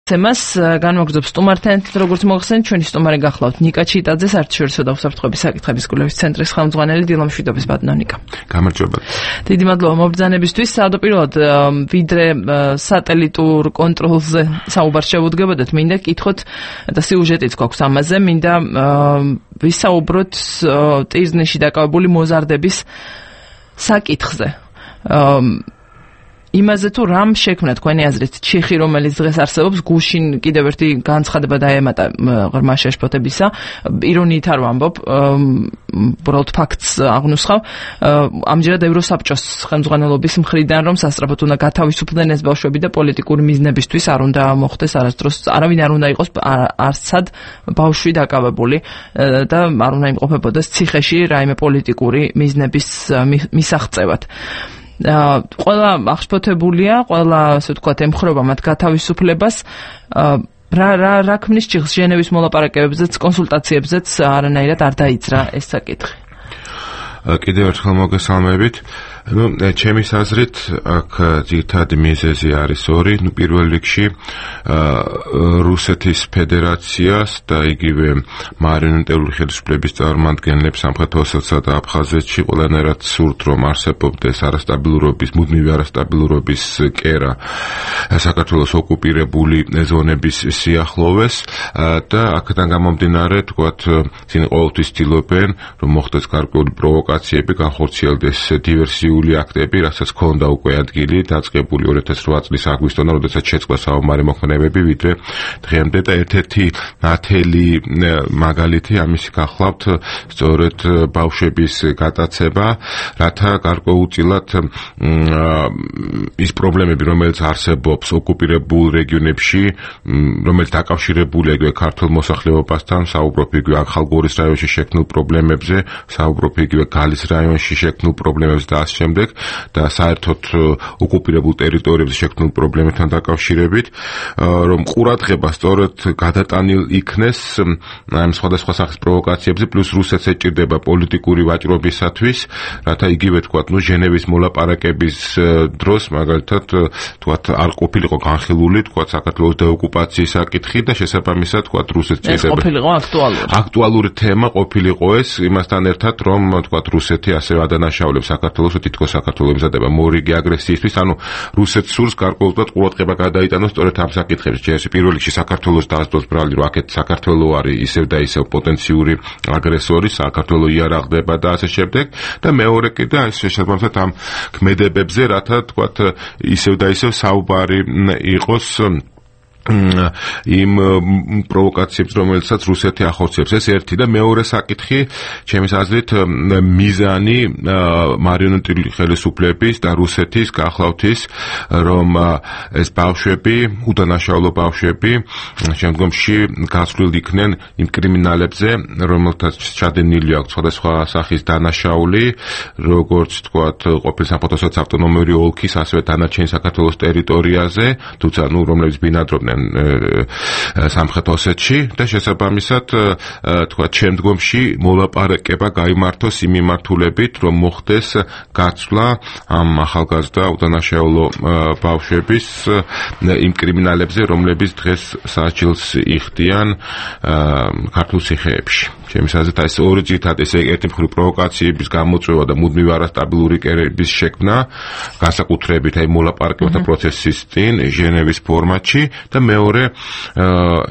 თემას განმოგრძობს სტუმართან, როგორც მოხსენეთ, ჩვენი სტუმარი გახლავთ ნიკა ჩიტაძე, საერთაშორისო დაუსაფრთხოების საკითხების კვლევის ცენტრის ხელმძღვანელი, დილა მშვიდობის ბატონო ნიკა. გამარჯობა. დიდი მადლობა მობრძანებისთვის. საავადმყოფოდ ვიდრე სატელიტურ კონტროლზე საუბარ შევუდგებოდეთ, მინდა კითხოთ და სიუჟეტიც გვაქვს ამაზე, მინდა ვისაუბროთ ტირზნში დაკავებული მოზარდების საკითხზე. იმაზე თუ რამ შექმნა თქვენი აზრით ჩიხი, რომელიც დღეს არსებობს, გუშინ კიდევ ერთი განცხადება დაემატა ღრმა შეშფოთებისა, ირონიით არ ვამბობ, უბრალოდ ფაქტს აღნუსხავ, ამჯერად ევროსაბჭოს ხელმძღვანელობის მხრიდან, რომ სასწრაფოდ უნდა გათავისუფლდნენ ეს ბავშვები და პოლიტიკური მიზნებისთვის არ უნდა მოხდეს არასდროს, არავინ არ უნდა იყოს არცად ბავშვი დაკავებული და არ უნდა იმყოფებოდეს ციხეში რაიმე პოლიტიკური მიზნების მისაღწევად. ყველა აღშფოთებულია, ყველა ასე ვთქვათ ემხრობა მათ გათავისუფლებას. რა ქმნის ჭიხს ჟენევის მოლაპარაკებებზეც, კონსულტაციებზეც არანაირად არ დაიძრა ეს საკითხი. კიდევ ერთხელ მოგესალმებით. ჩემის აზრით, აქ ძირითადი მიზეზი არის ორი. პირველ რიგში რუსეთის ფედერაციას და იგივე მარიონეტული ხელისუფლების წარმომადგენლებს სამხრეთ ოსეთსა და აფხაზეთში ყველანაირად სურთ, რომ არსებობდეს არასტაბილურობის, მუდმივი არასტაბილურობის კერა საქართველოს ოკუპირებული ზონების სიახლოვეს და აქედან გამომდინარე, თქვათ, ისინი ყოველთვის ცდილობენ, რომ მოხდეს გარკვეული პროვოკაციები, განხორციელდეს დივერსიული აქტები, რასაც ჰქონდა უკვე ადგილი დაწყებული 2008 წლის აგვისტოდან, როდესაც შეწყდა საომარი მოქმედებები, ვიდრე დღემდე და ერთ-ერთი ნათელი მაგალითი ამისი გახლავთ სწორედ ბავშვების გატაცება, რათა გარკვეულწილად ის პრობლემები, რომელიც არსებობს ოკუპირებულ რეგიონებში, რომელიც დაკავშირებულია იგივე ქართულ მოსახლეობასთან, საუბრობ იგივე ახალგორის რაიონში შექმნილ პრობლემებზე, საუბრობ იგივე გალის რაიონში შექმნილ პრობლემებზე და ასე შემდეგ და საერთოდ ოკუპირებულ ტერიტორიებზე შექმნილ პრობლემებთან დაკავშირებით, რომ ყურადღება სწორედ გადატანილ იქნეს ამ სხვადასხვა სახის პროვოკაციებზე, პლუს რუსეთს ეჭირდება პოლიტიკური ვაჭრობისათვის, რათა იგივე თქვათ, ჟენევის მოლაპარაკების დროს, მაგალითად, თქვათ, არ ყოფილიყო განხილული, თქვათ, საქართველოს დეოკუპაციის საკითხი და შესაბამისად, თქვათ, რუსეთს ეს ყოფილიყო აქტუალური თემა ყოფილიყო ეს, იმასთან ერთად, რომ თქვათ, რუსეთი ასევე ადანაშაულებს საქართველოს, თითქოს საქართველოს ემზადება მორიგი აგრესიისთვის, ანუ რუსეთს სურს გარკვეულწილად ყურადღება გადაიტანოს სწორედ ამ საკითხებში. ჯერ პირველ რიგში საქართველოს დაასწროს ბრალი, რომ აქეთ საქართველო არის ისევ და ისევ პოტენციური აგრესორი, საქართველო იარაღდება და ასე შემდეგ და მეორე კიდე ეს შესაბამისად ამ ქმედებებზე, რათა თქვათ, ისევ და ისევ საუბარი იყოს იმ პროვოკაციებს, რომელსაც რუსეთი ახორციელებს. ეს ერთი და მეორე საკითხი, ჩემის აზრით, მიზანი მარიონეტული ხელისუფლების და რუსეთის გახლავთ ის, რომ ეს ბავშვები, უდანაშაულო ბავშვები, შემდგომში გასვლილ იქნენ იმ კრიმინალებზე, რომელთაც ჩადენილი აქვს სხვადასხვა სახის დანაშაული, როგორც თქვათ, ყოფილი სამხატვრო ავტონომიური ოლქის, ასევე დანარჩენი საქართველოს ტერიტორიაზე, თუმცა რომლებიც ბინადრობდნენ სამხრეთ ოსეთში და შესაბამისად თქვა შემდგომში მოლაპარაკება გაიმართოს იმ მიმართულებით, რომ მოხდეს გაცვლა ამ ახალგაზრდა უდანაშაულო ბავშვების იმ კრიმინალებზე, რომლებიც დღეს საჭილს იხდიან ქართულ ციხეებში. ჩემის აზრით, ეს ორი ძირითადად ეს ერთი მხრივ პროვოკაციების გამოწვევა და მუდმივი არასტაბილური კერების შექმნა, განსაკუთრებით აი მოლაპარაკებათა პროცესის წინ ჟენევის ფორმატში და მეორე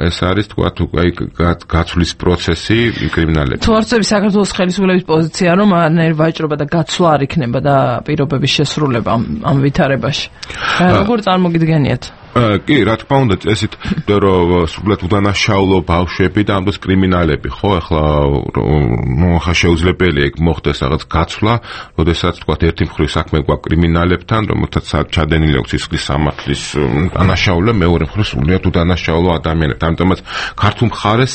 ეს არის თქვათ აი გაცვლის პროცესი კრიმინალებს. თუ არცები საქართველოს ხელისუფლების პოზიცია, რომ არანაირი ვაჭრობა და გაცვლა არ იქნება და პირობების შესრულება ამ ვითარებაში. როგორ წარმოგიდგენიათ? კი, რა თქმა უნდა, წესით, რომ სრულად უდანაშაულო ბავშვები და ამბობს კრიმინალები, ხო, ახლა ხა შეუძლებელია იქ მოხდეს რაღაც გაცვლა, როდესაც თქვათ ერთი მხრივ საქმე გვაქვს კრიმინალებთან, რომელთაც ჩადენილი აქვს სისხლის სამართლის დანაშაულება, მეორე მხრივ სრულად უდანაშაულო ადამიანებთან. ამიტომაც ქართულ მხარეს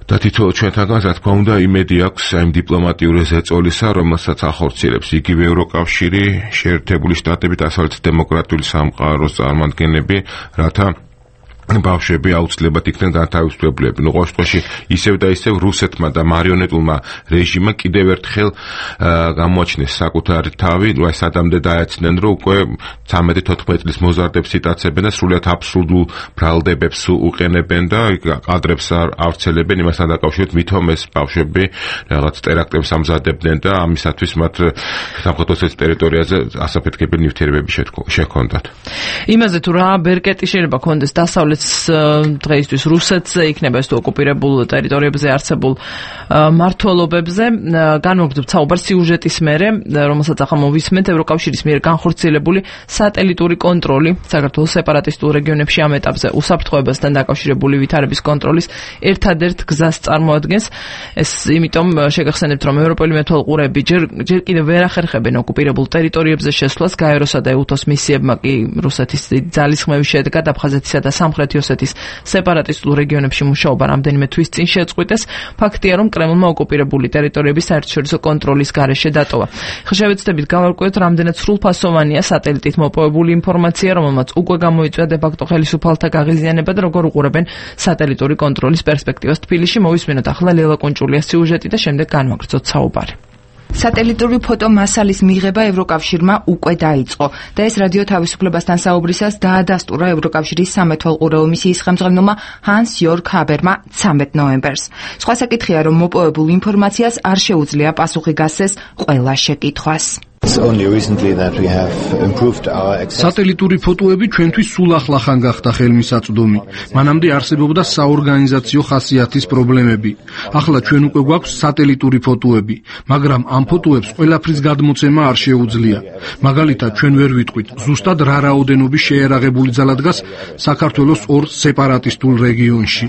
და თითოეულ ჩვენთაგან, რა თქმა უნდა, იმედი აქვს იმ დიპლომატიური ზეწოლისა, რომელსაც ახორციელებს იგივე ევროკავშირი, შეერთებული შტატები და დასავლეთ დემოკრატიული სამყაროს წარმომადგენლები, რათა ბავშვები აუცილებლად იქნენ განთავისუფლებლები. ყოველ შემთხვევაში ისევ და ისევ რუსეთმა და მარიონეტულმა რეჟიმმა კიდევ ერთხელ გამოაჩინეს საკუთარი თავი, აი სადამდე დაეცნენ, რომ უკვე 13-14 წლის მოზარდებს იტაცებენ და სრულიად აბსურდულ ბრალდებებს უყენებენ და კადრებს ავრცელებენ იმასთან დაკავშირებით, ვითომ ეს ბავშვები რაღაც ტერაქტებს ამზადებდნენ და ამისათვის მათ სამხედრო ტერიტორიაზე ასაფეთქებელი ნივთიერებები შეჰქონდათ. იმაზე თუ რა ბერკეტი შეიძლება ქონდეს დასავლეთ დღეისთვის რუსეთზე, იქნება ეს თუ ოკუპირებულ ტერიტორიებზე არსებულ მმართველობებზე. განვაგრძობთ საუბარს სიუჟეტის მერე, რომელსაც ახლა მოვისმენთ, ევროკავშირის მიერ განხორციელებული სატელიტური კონტროლი საქართველოს სეპარატისტულ რეგიონებში ამ ეტაპზე უსაფრთხოებასთან დაკავშირებული ვითარების კონტროლის ერთადერთ გზას წარმოადგენს. ეს იმიტომ შეგახსენებთ, რომ ევროპელი მეთვალყურეები ჯერ კიდევ ვერ ახერხებენ ოკუპირებულ ტერიტორიებზე შესვლას. გაეროსა და ეუთოს მისიებმა კი რუსეთის ძალისხმევის შედეგად აფხაზეთისა და სამხრეთ ოსეთის სეპარატისტულ რეგიონებში მუშაობა რამდენიმე თვის წინ შეწყვიტეს. ფაქტია, რომ კრემლმა ოკუპირებული ტერიტორიების საერთაშორისო კონტროლის გარეშე დატოვა. ხშევეცდებით გავარკვევთ, რამდენად სრულფასოვანია სატელიტით მოპოვებული ინფორმაცია, რომელმაც უკვე გამოიწვია დე-ფაქტო ხელისუფალთა გაღიზიანება და როგორ უყურებენ სატელიტური კონტროლის პერსპექტივას თბილისში. მოვისმინოთ ახლა ლელა კონჭულიას სიუჟეტი და შემდეგ განვაგრძოთ საუბარი. სატელიტური ფოტომასალის მიღება ევროკავშირმა უკვე დაიწყო და ეს რადიო თავისუფლებასთან საუბრისას დაადასტურა ევროკავშირის სამეთვალყურეო მისიის ხელმძღვანელმა ჰანს იორგ ჰაბერმა 13 ნოემბერს. სხვა საკითხია, რომ მოპოვებულ ინფორმაციას არ შეუძლია პასუხი გასცეს ყველა შეკითხვას. სატელიტური ფოტოები ჩვენთვის სულ ახლახან გახდა ხელმისაწვდომი. მანამდე არსებობდა საორგანიზაციო ხასიათის პრობლემები. ახლა ჩვენ უკვე გვაქვს სატელიტური ფოტოები, მაგრამ ამ ფოტოებს ყველაფრის გადმოცემა არ შეუძლია. მაგალითად, ჩვენ ვერ ვიტყვით, ზუსტად რა რაოდენობის შეერაღებული ძალა დგას საქართველოს ორ სეპარატისტულ რეგიონში.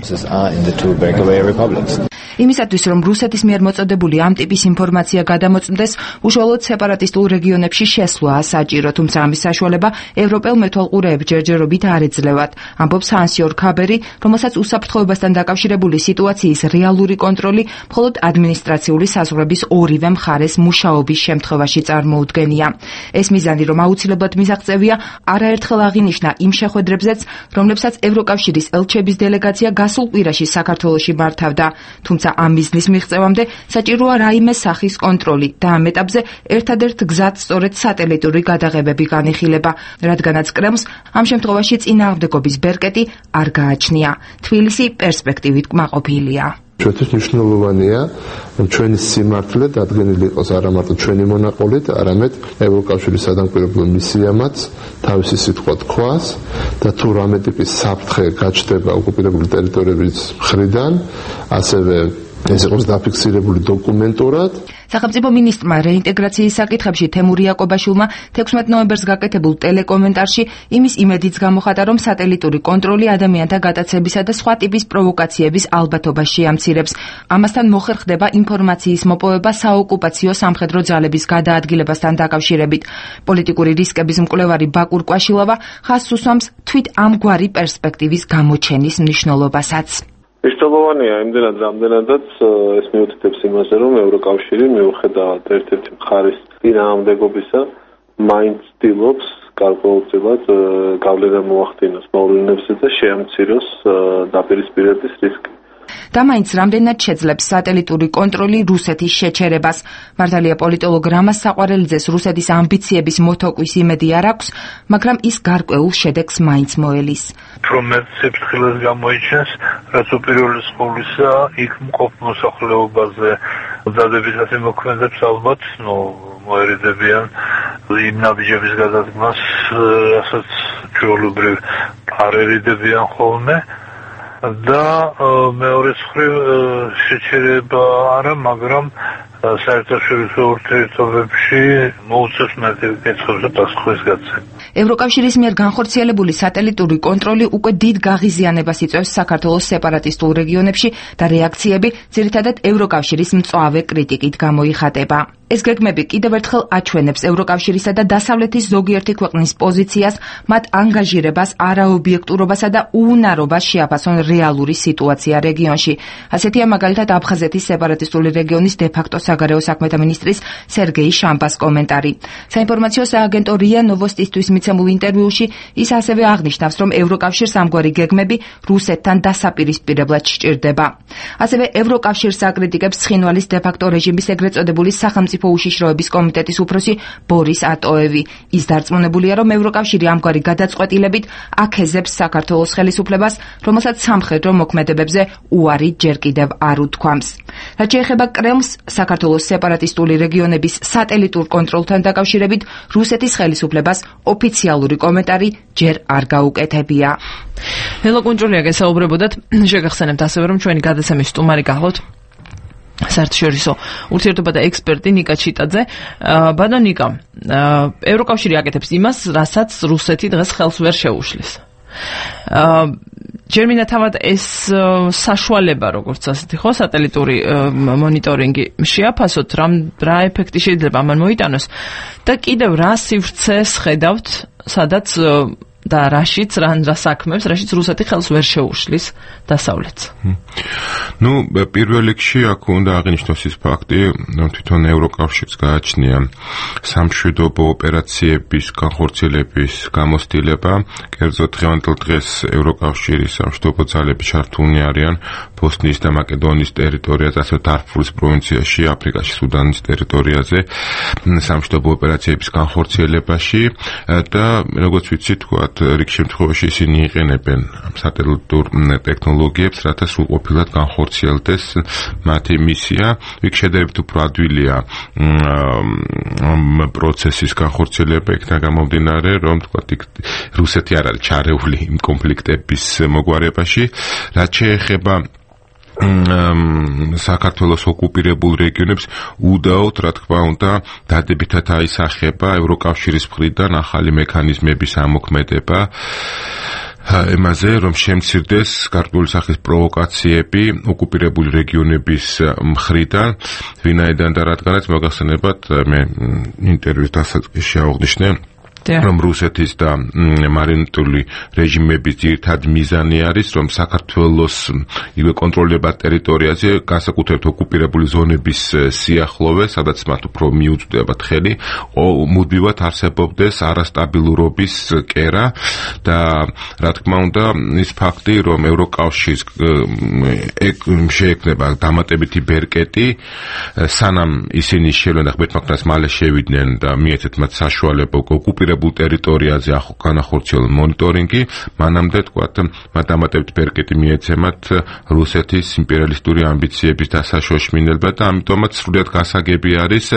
იმისათვის, რომ რუსეთის მიერ მოწოდებული ამ ტიპის ინფორმაცია გადამოწმდეს, უშუალოდ სეპარატისტულ რეგიონებში შესვლაა საჭირო, თუმცა ამის საშუალება ევროპელ მეთვალყურეებს ჯერჯერობით არ ეძლევათ. ამბობს ჰანს იორგ ჰაბერი, რომელსაც უსაფრთხოებასთან დაკავშირებული სიტუაციის რეალური კონტროლი მხოლოდ ადმინისტრაციული საზღვრების ორივე მხარეს მუშაობის შემთხვევაში წარმოუდგენია. ეს მიზანი, რომ აუცილებლად მისაღწევია, არაერთხელ აღინიშნა იმ შეხვედრებზეც, რომლებსაც ევროკავშირის ელჩების დელეგაცია გასულ კვირაში საქართველოში მართავდა. თუმცა ამ მიზნის მიღწევამდე საჭიროა რაიმე სახის კონტროლი და ამ ეტაპზე ერთადერთ გზად სწორედ სატელიტური გადაღებები განიხილება, რადგანაც კრემლს ამ შემთხვევაში წინააღმდეგობის ბერკეტი არ გააჩნია. თბილისი პერსპექტივით კმაყოფილია. ჩვენთვის მნიშვნელოვანია, რომ ჩვენი სიმართლე დადგენილი იყოს არა მარტო ჩვენი მონაყოლით, არამედ ევროკავშირის სადამკვირვებლო მისიამაც თავისი სიტყვა თქვას და თუ რამე ტიპის საფრთხე გაჩნდება ოკუპირებული ტერიტორიების მხრიდან, ასევე ეს იყოს დაფიქსირებული დოკუმენტურად. სახელმწიფო მინისტრმა რეინტეგრაციის საკითხებში თემურ იაკობაშვილმა 16 ნოემბერს გაკეთებულ ტელეკომენტარში იმის იმედიც გამოხატა, რომ სატელიტური კონტროლი ადამიანთა გატაცებისა და სხვა ტიპის პროვოკაციების ალბათობას შეამცირებს. ამასთან მოხერხდება ინფორმაციის მოპოვება საოკუპაციო სამხედრო ძალების გადაადგილებასთან დაკავშირებით. პოლიტიკური რისკების მკვლევარი ბაკურ კვაშილავა ხაზს უსვამს თვით ამგვარი პერსპექტივის გამოჩენის მნიშვნელობასაც. მნიშვნელოვანია იმდენად, რამდენადაც ეს მიუთითებს იმაზე, რომ ევროკავშირი მიუხედავად ერთ-ერთი მხარის წინააღმდეგობისა, მაინც ცდილობს გარკვეულწილად გავლენა მოახდინოს მოვლენებზე და შეამციროს დაპირისპირების რისკი. და მაინც რამდენად შეძლებს სატელიტური კონტროლი რუსეთის შეჩერებას. მართალია პოლიტოლოგ რამაზ საყვარელიძეს რუსეთის ამბიციების მოთოკვის იმედი არ აქვს, მაგრამ ის გარკვეულ შედეგს მაინც მოელის. რომ სიფრთხილეს გამოიჩენს, რაც უპირველეს ყოვლისა იქ მყოფ მოსახლეობაზე დადებითად მოქმედებს ალბათ, მოერიდებიან იმ ნაბიჯების გადადგმას, რასაც ჩვეულებრივ არ ერიდებიან ხოლმე. და მეორე მხრივ შეჩერება არა, მაგრამ საერთაშორისო ურთიერთობებში მოუწევს მეტი კითხვებს და პასუხის გაცემა. ევროკავშირის მიერ განხორციელებული სატელიტური კონტროლი უკვე დიდ გაღიზიანებას იწვევს საქართველოს სეპარატისტულ რეგიონებში და რეაქციები ძირითადად ევროკავშირის მწვავე კრიტიკით გამოიხატება. ეს გეგმები კიდევ ერთხელ აჩვენებს ევროკავშირისა და დასავლეთის ზოგიერთი ქვეყნის პოზიციას, მათ ანგაჟირებას, არაობიექტურობასა და უუნარობას შეაფასონ რეალური სიტუაცია რეგიონში. ასეთია მაგალითად აფხაზეთის სეპარატისტული რეგიონის დე-ფაქტო საგარეო საქმეთა მინისტრის სერგეი შამბას კომენტარი. საინფორმაციო სააგენტო რია ნოვოსტისთვის მიცემულ ინტერვიუში ის ასევე აღნიშნავს, რომ ევროკავშირს ამგვარი გეგმები რუსეთთან დასაპირისპირებლად სჭირდება. ასევე ევროკავშირს აკრიტიკებს ცხინვალის დე-ფაქტო რეჟიმის ეგრეთ წოდებული სახელმწიფო უშიშროების კომიტეტის უფროსი ბორის ატოევი. ის დარწმუნებულია, რომ ევროკავშირი ამგვარი გადაწყვეტილებით აქეზებს საქართველოს ხელისუფლებას, რომელსაც სამხედრო მოქმედებებზე უარი ჯერ კიდევ არ უთქვამს. რაც შეეხება კრემლს, საქართველოს სეპარატისტული რეგიონების სატელიტურ კონტროლთან დაკავშირებით რუსეთის ხელისუფლებას ოფიციალური კომენტარი ჯერ არ გაუკეთებია. ჰელო კუნჭულია გესაუბრებოდათ, შეგახსენებთ ასევე, რომ ჩვენი გადაცემის სტუმარი გახლავთ საერთაშორისო ურთიერთობათა ექსპერტი ნიკა ჩიტაძე. ბატონ ნიკა, ევროკავშირი აკეთებს იმას, რასაც რუსეთი დღეს ხელს ვერ შეუშლის. ჯერ მინდა თავად ეს საშუალება, როგორც ასეთი ხო, სატელიტური მონიტორინგი შეაფასოთ, რა ეფექტი შეიძლება ამან მოიტანოს და კიდევ რა სივრცეს ხედავთ, სადაც და რაშიც საქმებს, რაშიც რუსეთი ხელს ვერ შეუშლის დასავლეთს. ნუ პირველ რიგში აქ უნდა აღინიშნოს ის ფაქტი, რომ თვითონ ევროკავშირს გააჩნია სამშვიდობო ოპერაციების განხორციელების გამოცდილება, კერძოდ დღევანდელ დღეს ევროკავშირის სამშვიდობო ძალები ჩართულნი არიან ბოსნიის და მაკედონიის ტერიტორიაზე, ასევე დარფურის პროვინციაში, აფრიკაში, სუდანის ტერიტორიაზე სამშვიდობო ოპერაციების განხორციელებაში და როგორც ვიცი, თქვათ რიგ შემთხვევაში ისინი იყენებენ სატელიტურ ტექნოლოგიებს, რათა სრულყოფილად განხორციელდეს მათი მისია. იქ შედარებით უფრო ადვილია პროცესის განხორციელება, იქიდან გამომდინარე, რომ თქვათ რუსეთი არ არის ჩარეული იმ კონფლიქტების მოგვარებაში. რაც შეეხება საქართველოს ოკუპირებულ რეგიონებს უდაოდ, რა თქმა უნდა, დადებითად აისახება ევროკავშირის მხრიდან ახალი მექანიზმების ამოქმედება იმაზე, რომ შემცირდეს გარკვეული სახის პროვოკაციები ოკუპირებული რეგიონების მხრიდან, ვინაიდან და რადგანაც მოგახსენებათ, მე ინტერვიუს დასაწყისში აღვნიშნე, რომ რუსეთის და მარიონეტული რეჟიმების ძირითადი მიზანი არის, რომ საქართველოს იგივე კონტროლირებად ტერიტორიაზე, განსაკუთრებით ოკუპირებული ზონების სიახლოვე, სადაც მათ უფრო მიუწვდებათ ხელი, მუდმივად არსებობდეს არასტაბილურობის კერა და რა თქმა უნდა, ის ფაქტი, რომ ევროკავშირს შეექმნება დამატებითი ბერკეტი, სანამ ისინი შევლენ და ღმერთმაგდას მალე შევიდნენ და მიეცეთ მათ საშუალება ოკუპირებულ ტერიტორიაზე განახორციელონ მონიტორინგი, მანამდე თქვათ, მათ დამატებით ბერკეტი მიეცემათ რუსეთის იმპერიალისტური ამბიციების დასაშოშმინება და ამიტომაც სრულიად გასაგები არის,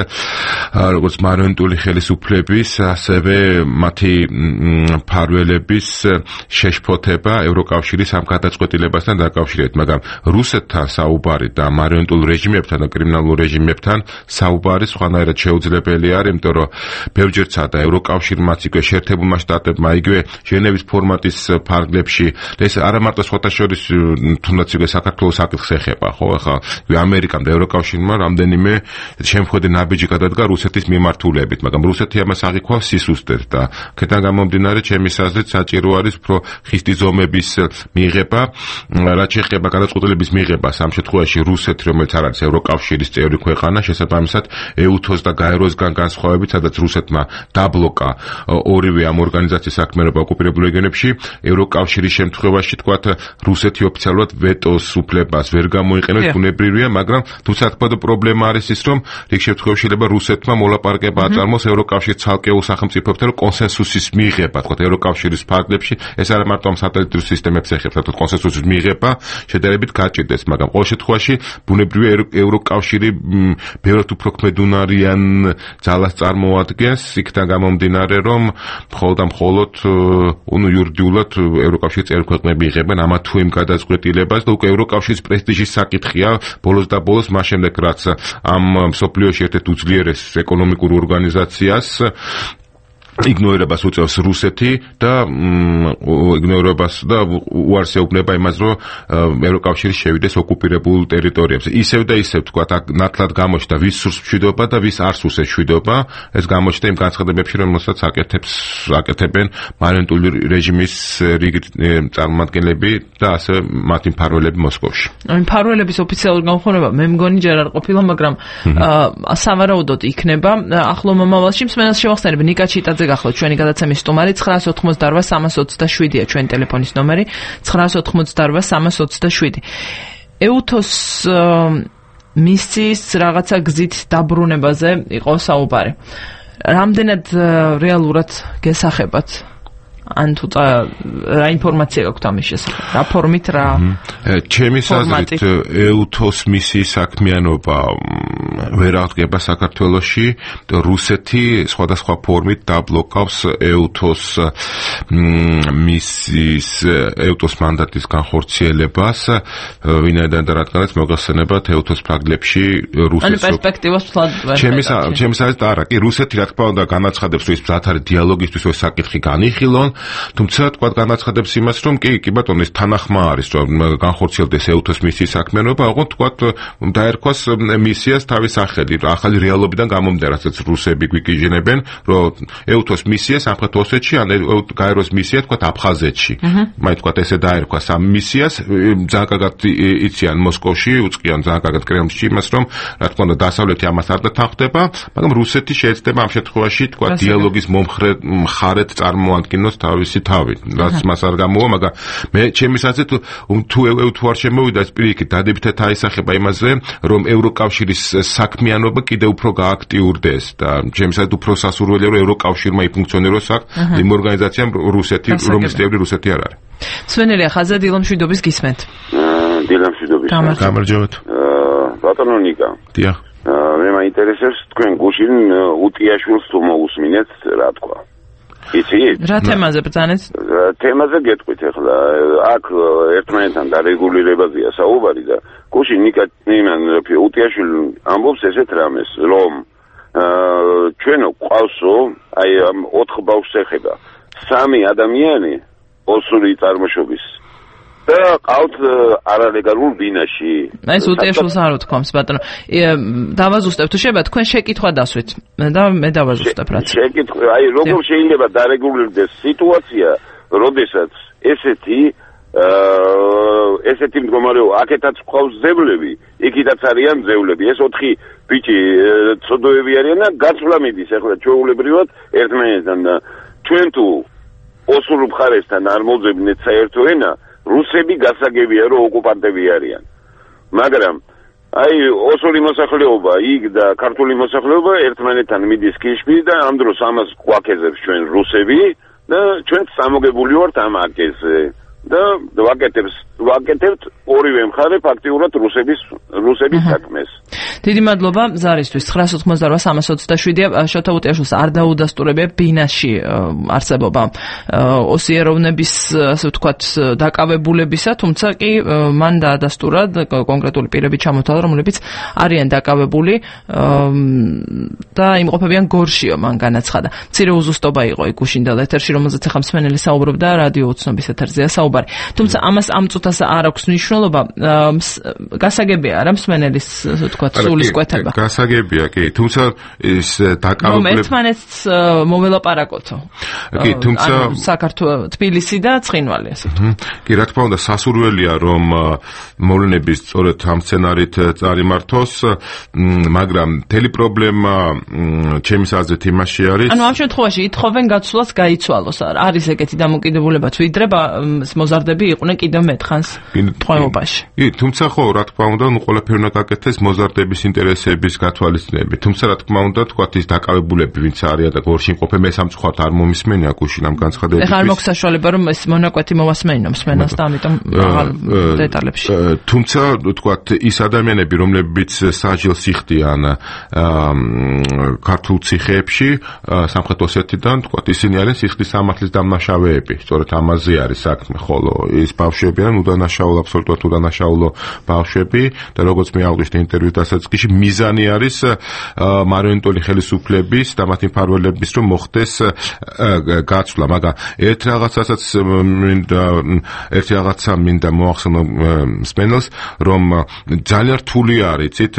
როგორც მარიონეტული ხელისუფლების, ასევე მათი მფარველების შეშფოთება ევროკავშირის ამ გადაწყვეტილებასთან დაკავშირებით, მაგრამ რუსეთთან საუბარი და მარიონეტულ რეჟიმებთან და კრიმინალურ რეჟიმებთან საუბარი სხვანაირად შეუძლებელი არის, იმიტომ რომ ბევრჯერ ცადა ევროკავშირმა იგივე შეერთებულმა შტატებმა, იგივე ჟენევის ფორმატის ფარგლებში, ეს არა მარტო სხვათა შორის თუნდაც იგივე საქართველოს საკითხს ეხება, ხო, ახლა ამერიკამ და ევროკავშირმა რამდენიმე შემხედე ნაბიჯი გადადგა რუსეთის მიმართულებით, მაგრამ რუსეთი ამას აღიქვავს სისუსტედ და აქედან გამომდინარე, ჩემის აზრით საჭირო არის უფრო ხისტი ზომების მიღება, რაც შეეხება გადაწყვეტილების მიღებას, ამ შემთხვევაში რუსეთი, რომელიც არ არის ევროკავშირის წევრი ქვეყანა, შესაბამისად EUTOS და GAERO-სგან განსხვავებით, სადაც რუსეთმა დაბლოკა ორივე ამ ორგანიზაციის საქმიანობა ოკუპირებულ რეგიონებში, ევროკავშირის შემთხვევაში თქვათ, რუსეთი ოფიციალურად ვეტოს უფლებას ვერ გამოიყენებს, ბუნებრივია, მაგრამ თუმცა თქვა პრობლემა არის ის, რომ რიგ შემთხვევაში შეიძლება რუსეთმა მოლაპარაკება აწარმოოს ევროკავშირის ცალკეულ სახელმწიფოებთან კონსენსუსის მიღება, თქვათ, ევროკავშირის ფარგლებში, ეს არა მარტო ამ სატელიტურ სისტემებს ეხება, თქო, კონსენსუსის მიღება შედარებით გაჭირდეს, მაგრამ ყოველ შემთხვევაში ბუნებრივია ევროკავშირი ბევრად უფრო ქმედუნარიან ძალას წარმოადგენს, იქიდან გამომდინარე, რომ მხოლოდ იურიდიულად ევროკავშირის წევრი ქვეყნები იღებენ ამა თუ იმ გადაწყვეტილებას და უკვე ევროკავშირის პრესტიჟის საკითხია ბოლოს და ბოლოს, მას შემდეგ რაც ამ მსოფლიოში ერთ-ერთ უძლიერეს ეკონომიკურ ორგანიზაციას იგნორებას უწევს რუსეთი და იგნორებას და უარს ეუბნება იმას, რომ ევროკავშირი შევიდეს ოკუპირებულ ტერიტორიებზე. ისევ და ისევ თქვა, ნათლად გამოჩნდა ვის სურს მშვიდობა და ვის არ სურს მშვიდობა. ეს გამოჩნდა იმ განცხადებებში, რომელსაც აკეთებენ მარიონეტული რეჟიმის რიგი წარმომადგენლები და ასევე მათი მფარველები მოსკოვში. მფარველების ოფიციალური განხორციელება მე მგონი ჯერ არ ყოფილა, მაგრამ სავარაუდოდ იქნება ახლო მომავალში. მსმენელს შევახსენებ, ნიკა ჩიტაძე შეგახლოთ ჩვენი გადაცემის სტუმარი 988-327-ია ჩვენი ტელეფონის ნომერი 988-327. ეუთოს მისიის რაღაცა გზით დაბრუნებაზე იყო საუბარი. რამდენად რეალურად გესახებათ? ან თუ რა ინფორმაცია გაქვთ ამის შესახებ? რა ფორმით რა? ჩემი აზრით ეუთოს მისიის საქმიანობა ვერ აღდგება საქართველოში. რუსეთი სხვადასხვა ფორმით დაბლოკავს ეუთოს მისიის ეუთოს მანდატის განხორციელებას, ვინაიდან და რადგანაც მოგახსენებათ ეუთოს ფლაგლებში რუსეთის პერსპექტივას თვალ ჩემი აზრით არა, კი რუსეთი რა თქმა უნდა განაცხადებს, რომ ის მზად არის დიალოგისთვის, რომ საკითხი განიხილონ. თუმცა თქვა განაცხადებს იმას, რომ კი ბატონო, ეს თანახმა არის, რომ განხორციელდეს ეუთოს მისიის საქმიანობა, ოღონდ თქვა დაერქვას მისიას თავის სახელი, ახალი რეალობიდან გამომდინარე, რასაც რუსები გვიკიჟინებენ, რომ ეუთოს მისია სამხრეთ ოსეთში, ან გაეროს მისია თქვა აფხაზეთში. მაინც თქვა ესე დაერქვას ამ მისიას, ძალიან კარგად იციან მოსკოვში, უწყიან ძალიან კარგად კრემლში იმას, რომ რა თქმა უნდა დასავლეთი ამას არ დათანხმდება, მაგრამ რუსეთი შეეცდება ამ შემთხვევაში თქვა დიალოგის მომხრე მხარეთ წარმოადგენოს თავისი თავი, რაც მას არ გამოვა, მაგრამ მე ჩემი აზრით თუ არ შემოვიდა ეს პირიქით დადებითად აისახება იმაზე, რომ ევროკავშირის საქმიანობა კიდევ უფრო გააქტიურდეს და ჩემი აზრით უფრო სასურველია, რომ ევროკავშირმა იფუნქციონიროს იმ ორგანიზაციამ რუსეთი, რომლის წევრი რუსეთი არ არის. სვენელია ხაზა დილამშვიდობის გისმენთ. დილამშვიდობის. გამარჯობათ. ბატონო ნიკა. დიახ. მე მაინტერესებს თქვენ გუშინ უტიაშვილს თუ მოусმინეთ რა თქვა. იცით? რა თემაზე ბრძანეთ? თემაზე გეტყვით ახლა. აქ ერთმანეთთან დარეგულირებაზეა საუბარი და გუშინ ნიკა უტიაშვილი ამბობს ესეთ რამეს, რომ ჩვენო ყავსო, აი ამ 4 ბავშვს ეხება 3 ადამიანი ოსური წარმოშობის და ყავთ არალეგალურ ბინაში. ეს უტიაშვილს არ უთქვამს, ბატონო. დავაზუსტებ თუ შეიძლება თქვენ შეკითხვა დასვით და მე დავაზუსტებ რაც. შეკითხვა, აი როგორ შეიძლება დარეგულირდეს სიტუაცია, როდესაც ესეთი მდგომარეობა, აქეთაც ყავს ზევლები, იქითაც არიან ზევლები. ეს 4 ბიჭი ცოდოები არიან და გაცვლა მიდის ახლა ჩვეულებრივად ერთმანეთთან და ჩვენ თუ ოსურ მხარესთან არ მოძებნეთ საერთო ენა, რუსები გასაგებია რომ ოკუპანტები არიან. მაგრამ აი ოსური მოსახლეობა იქ და ქართული მოსახლეობა ერთმანეთთან მიდის კიშკი და ამ დროს ამას გვაქეზებს ჩვენ რუსები და ჩვენ სამოგებული ვართ ამ აკეზე და ვაკეთებთ ორივე მხარე ფაქტიურად რუსების საქმეს. დიდი მადლობა ზარისთვის. 988-327-ია შოთა უტიაშვილს არ დაუდასტურებია ბინაში არსებობა ოსიეროვნების, ასე ვთქვათ, დაკავებულებისა, თუმცა კი მან დაადასტურა კონკრეტული პირები ჩამოთვალა, რომლებიც არიან დაკავებული და იმყოფებიან გორშიო, მან განაცხადა. მცირე უზუსტობა იყო იქ გუშინდელ ეთერში, რომელზეც ახლა მსმენელი საუბრობდა რადიო უცნობის ეთერზეა საუბარი. თუმცა ამას ამ წუთას არ აქვს მნიშვნელობა, გასაგებია არა მსმენელის, ასე ვთქვათ, სულის კვეთება. გასაგებია, კი, თუმცა ეს დაკავებული ერთმანეთს მოველაპარაკოთო. კი, თუმცა საქართველოს თბილისი და ცხინვალი, ასე ვთქვათ. კი, რა თქმა უნდა, სასურველია რომ მოვლენები სწორედ ამ სცენარით წარიმართოს, მაგრამ მთელი პრობლემა ჩემი აზრით იმაში არის. ანუ ამ შემთხვევაში ითხოვენ გაცვლას გაიცვალოს. არის ეგეთი დამოკიდებულებაც, ვიდრე მოზარდები იყვნენ კიდევ მეტხანს ტყვეობაში. კი, თუმცა ხო, რა თქმა უნდა, ყველაფერი უნდა გაკეთდეს მოზარდების ინტერესების გათვალისწინებით. თუმცა რა თქმა უნდა, თქვათ ის დაკავებულები, ვინც არიან და გორში იმყოფენ, მე სამწუხაროდ არ მომისმენია გუშინ ამ განცხადებების. ეხლა არ მაქვს საშუალება რომ ეს მონაკვეთი მოვასმენინო მსმენელს და ამიტომ აღარ დეტალებში. თუმცა თქვათ ის ადამიანები, რომლებიც საჯელს იხდიან ქართულ ციხეებში, სამხრეთ ოსეთიდან, თქვათ ისინი არიან სიხდის სამართლის დამნაშავეები. სწორედ ამაზე არის საქმე, ხოლო ის ბავშვები არიან უდანაშაულო, აბსოლუტურად უდანაშაულო ბავშვები და როგორც მე აღვნიშნე ინტერვიუს დასაწყისში, მიზანი არის მარიონეტული ხელისუფლების და მათი მფარველების რომ მოხდეს გაცვლა, მაგრამ ერთ რაღაცა მინდა მოახსენო მსმენელს, რომ ძალიან რთული არის, იცით,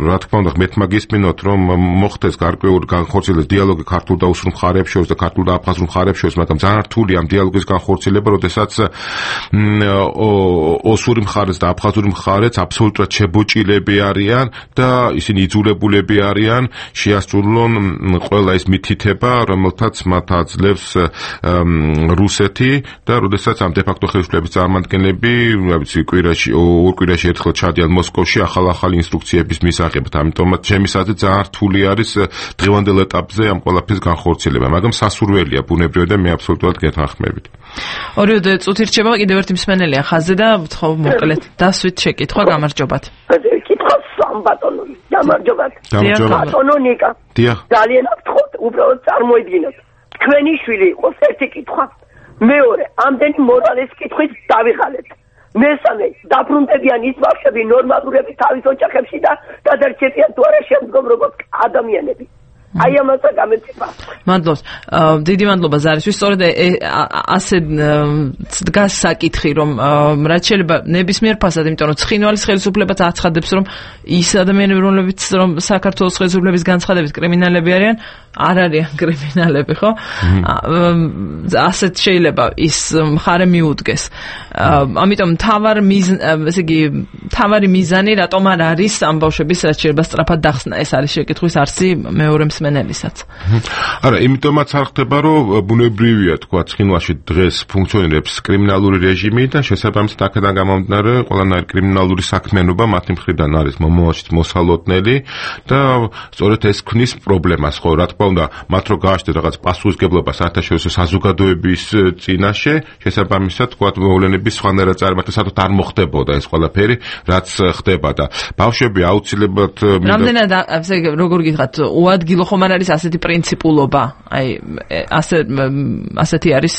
რა თქმა უნდა, მე მაგისმინოთ, რომ მოხდეს გარკვეული განხორციელების დიალოგი ქართულ და უსურ მხარეებს შორის და ქართულ და აფხაზურ მხარეებს შორის, მაგრამ ძალიან რთული ამ დიალოგის განხორციელება, როდესაც ოსური მხარეც და აფხაზური მხარეც აბსოლუტურად შებოჭილები არიან და ისინი იძულებულები არიან შეასრულონ ყველა ის მითითება, რომელთაც მათ აძლევს რუსეთი და როდესაც ამ დე-ფაქტო ხელისუფლების წარმომადგენლები, კვირაში ორ კვირაში ერთხელ ჩადიან მოსკოვში ახალ-ახალი ინსტრუქციების მისაღებად. ამიტომაც ჩემი აზრით ძალიან რთული არის დღევანდელ ეტაპზე ამ ყველაფრის განხორციელება, მაგრამ სასურველია ბუნებრივად და მე აბსოლუტურად გეთანხმებით. ორიოდე წუთი რჩება, კიდევ ერთი მსმენელია ხაზზე და ვთხოვ მოკლედ დასვით შეკითხვა, გამარჯობათ. კითხავს სამბატონო, გამარჯობათ. ბატონო ნიკა. ძალიან გთხოვთ, უბრალოდ წარმოიდგინოთ. თქვენი შვილი იყოს ერთი კითხვა. მეორე, ამდენი მორალის კითხვით დავიღალეთ. მესამე, დაბრუნდებიან ის ბავშვები ნორმალურები თავის ოჯახებში და გადარჩებიან თუ არა შემდგომ როგორც ადამიანები. აი ამასაც გამეცემა. მადლობს. დიდი მადლობა ზარისთვის. სწორედ ასე დგას საკითხი, რომ რაც შეიძლება ნებისმიერ ფასად, იმიტომ რომ ცხინვალის ხელისუფლებაც აცხადებს, რომ ის ადამიანები, რომლებიც რომ საქართველოს ხელისუფლების განცხადებით კრიმინალები არიან, არ არიან კრიმინალები, ხო? ასეთ შეიძლება ის მხარე მიუდგეს. ამიტომ თავარი მიზანი რატომ არ არის ამ ბავშვების რაც შეიძლება სწრაფად დახსნა? ეს არის შეკითხვის არსი მეორე მსმენელისაც. არა, იმიტომაც არ ხდება, რომ ბუნებრივია, თქვა, ცხინვალში დღეს ფუნქციონირებს კრიმინალური რეჟიმი და შესაბამისად აქედან გამომდინარე ყველანაირი კრიმინალური საქმიანობა მათი მხრიდან არის მომავალშიც მოსალოდნელი და სწორედ ეს ქმნის პრობლემას, ხო, რა თქმა უნდა, მათ რო გააჩნდეთ რაღაც პასუხისგებლობა საერთაშორისო საზოგადოების წინაშე, შესაბამისად, თქვა, მოვლენების სხვანაირად წარმატება საერთოდ არ მოხდებოდა ეს ყველაფერი, რაც ხდება და ბავშვები აუცილებლად რამდენად ასე როგორ გითხრათ, უადგილო ხომ არ არის ასეთი პრინციპულობა? აი, ასეთი არის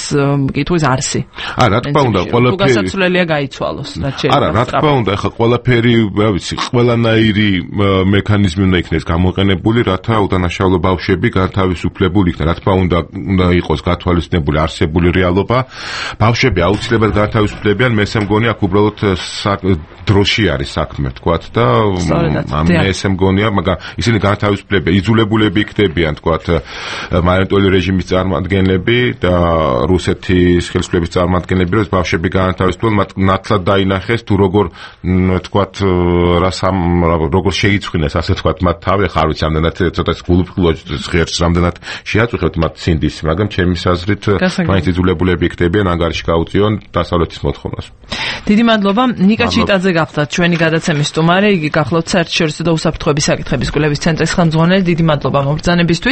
კითხვის არსი. არა, რა თქმა უნდა, ყველაფერი გასაცვლელია გაიცვალოს, რაც შეიძლება. არა, რა თქმა უნდა, ეხლა ყველაფერი, რა ვიცი, ყველანაირი მექანიზმი უნდა იქნეს გამოყენებული, რათა უდანაშაულო ბავშვები განთავისუფლებული იქნან. რა თქმა უნდა, უნდა იყოს გათვალისწინებული არსებული რეალობა. ბავშვები აუცილებლად განთავისუფლებიან, მე ესე მგონი, აქ უბრალოდ დროში არის საქმე, თქვათ და მე ესე მგონია, მაგრამ ისინი განთავისუფლებიან, იძულებულები იქნებიან, თქვათ, მარიონეტული რეჟიმის წარმომადგენლები და რუსეთის ხელისუფლების წარმომადგენლები, რომ ბავშვები განთავისუფლდნენ, მათ ნათლად დაინახეს თუ როგორ, თქვათ, როგორ შეიცვინეს, ასე თქვათ, მათ თავი, ხა არ ვიცი, ამდენად ცოტა გულუბრყვილოს ღერს რამდენად შეაწუხებთ მათ ცინდის, მაგრამ ჩემი აზრით მაინც იძულებულები იქნებიან ანგარიში გაუწიონ დასავლეთის მოთხოვნას. დიდი მადლობა. ნიკა ჩიტაძე გახდათ ჩვენი გადაცემის სტუმარი, იგი გახლავთ საერთაშორისო და უსაფრთხოების საკითხების კვლევის ცენტრის ხელმძღვანელი. დიდი მადლობა მობრძანებისთვის.